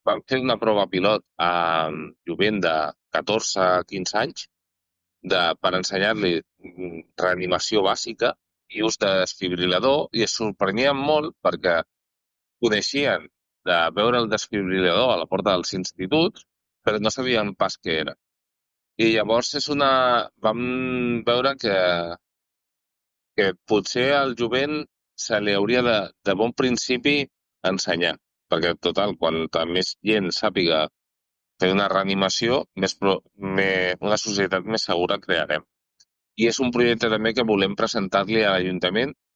vam fer una prova pilot a jovent de 14 a 15 anys per ensenyar-li reanimació bàsica i ús de desfibril·lador i es sorprenien molt perquè coneixien de veure el desfibril·lador a la porta dels instituts, però no sabien pas què era. I llavors vam veure que potser al jovent se li hauria de bon principi ensenyar, perquè total, quanta més gent sàpiga fer una reanimació, una societat més segura crearem. I és un projecte també que volem presentar-li a l'Ajuntament